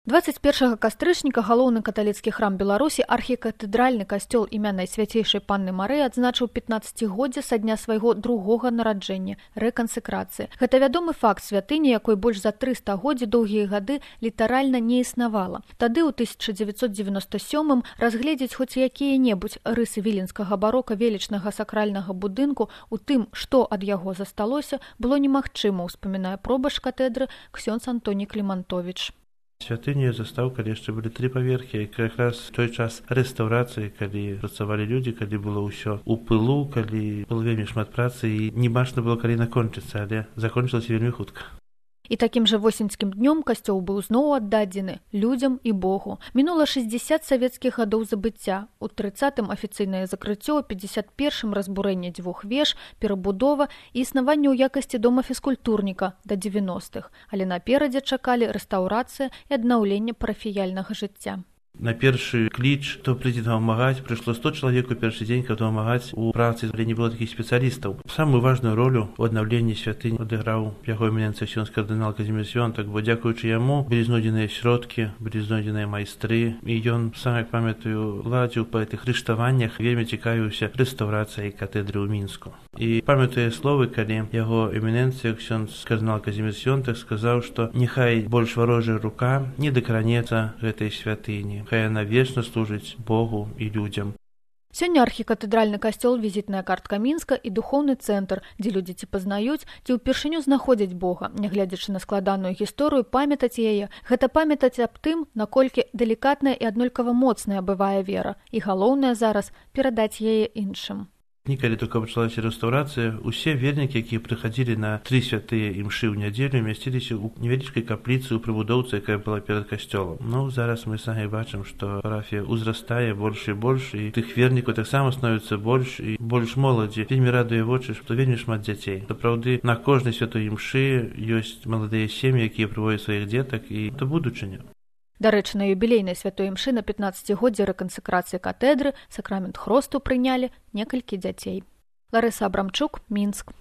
21 кастрычніка галоўны каталіцкі храм Беларусі архікатэдральны касцёл імя Найсвяцейшай Панны Марыі адзначыў 15годдзе са дня свайго другога нараджэння рэкансекрацыі. Гэта вядомы факт святыні, якой больш за 300 годдзі доўгія гады літаральна не існавала. Тады ў 1997 разгледзець хоць якія-небудзь рысы віленскага барока велічнага сакральнага будынку у тым, што ад яго засталося, было немагчыма, успамінае пробашч катедры ксёндз Антоній Клімантовіч. Святыню я застаў, калі яшчэ былі 3 паверхі, якраз той час рэстаўрацыі, калі працавалі людзі, калі было ўсё ў пылу, калі было вельмі шмат працы і не бачна было, калі накончыцца, але закончылася вельмі хутка. І такім жа восеньскім днём касцёл быў зноў аддадзены людзям і Богу. Мінула 60 савецкіх гадоў забыцця. У 30-м афіцыйнае закрыццё, у 51-м разбурэнне 2 веж, перабудова і існаванне ў якасці дома фізкультурніка да 90-х. Але наперадзе чакалі рэстаўрацыя і аднаўленне парафіяльнага жыцця. На першы кліч, хто прыйдзе дапамагаць, прыйшло 100 чалавек у першы дзень, каб дапамагаць у працы, але не было такіх спецыялістаў. Самую важную ролю ў аднаўленні святынь адыграў яго эміненцыя ксёндз кардынал Казімір Свёнтак, бо дзякуючы яму былі знойдзеныя сродкі, былі знойдзеныя майстры, і ён, сам як памятаю, ладзіў па гэтых рыштаваннях, вельмі цікавіўся рэстаўрацыяй катедры ў Мінску. І памятаю словы, калі яго эміненцыя ксёндз кардынал Казімір Свёнтак сказаў, што няхай больш варожая рука не дакранецца гэтай святыні. Хай яна вечна служыць Богу і людзям. Сёння архікатэдральны касцёл, візітная картка Мінска і духоўны цэнтр, дзе людзі ці пазнаюць, ці ўпершыню знаходзяць Бога. Нягледзячы на складаную гісторыю, памятаць яе, гэта памятаць аб тым, наколькі далікатная і аднолькава моцная бывае вера. І галоўнае зараз перадаць яе іншым. Калі только пачалася рэстаўрацыя, усе вернікі, якія прыхадзілі на 3 святыя імшы ў нядзелю, мясціліся ў невялічкай капліцы ў прыбудоўцы, якая была перад касцёлам. Зараз мы самі бачым, што парафія ўзрастае больш і больш, і тых вернікаў таксама становіцца больш і больш моладзі. Вельмі радуе вочы, што вельмі шмат дзяцей. Сапраўды, на кожнай святой імшы ёсць маладыя сем'і, якія прыводзяць сваіх дзетак, і это будучыня. Дарэчы, на юбілейнай святой імшы на 15годдзе рэкансекрацыі катедры сакрамент хросту прынялі некалькі дзяцей. Ларыса Абрамчук, Мінск.